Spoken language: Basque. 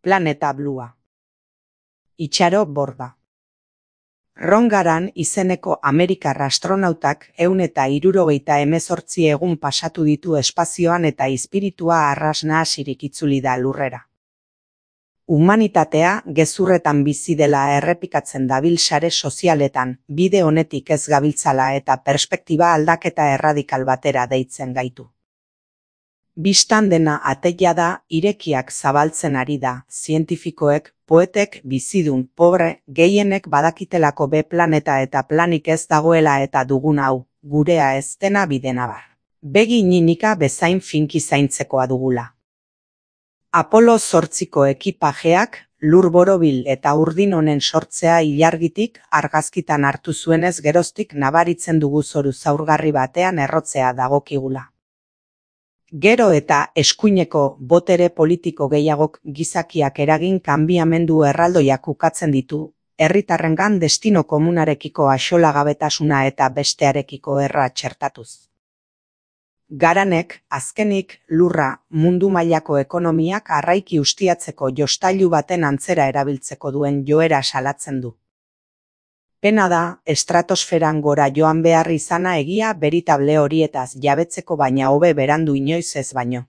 Planeta Blua. Itxaro Borda. Ron Garan izeneko amerikar astronautak 178 egun pasatu ditu espazioan eta izpiritua arras nahasirik itzuli da lurrera. Humanitatea gezurretan bizi dela errepikatzen dabil sare sozialetan, bide honetik ez gabiltzala eta perspektiba aldaketa erradikal batera deitzen gaitu. Bistan dena ateia da, irekiak zabaltzen ari da, zientifikoek, poetek, bizidun, pobre, gehienek badakitelako be planeta eta planik ez dagoela eta dugun hau, gurea ez dena bidena bar. Begi ninika bezain finki zaintzekoa dugula. Apollo 8ko ekipajeak, lur borobil eta urdin honen sortzea ilargitik argazkitan hartu zuenez geroztik nabaritzen dugu zoru zaurgarri batean errotzea dagokigula. Gero eta eskuineko botere politiko gehiagok gizakiak eragin kanbiamendu erraldoiak ukatzen ditu, herritarrengan destino komunarekiko axolagabetasuna eta bestearekiko erra txertatuz. Garanek, azkenik, lurra, mundu mailako ekonomiak arraiki ustiatzeko jostailu baten antzera erabiltzeko duen joera salatzen du. Pena da, estratosferan gora joan behar izana egia beritable horietaz jabetzeko baina hobe berandu inoiz ez baino.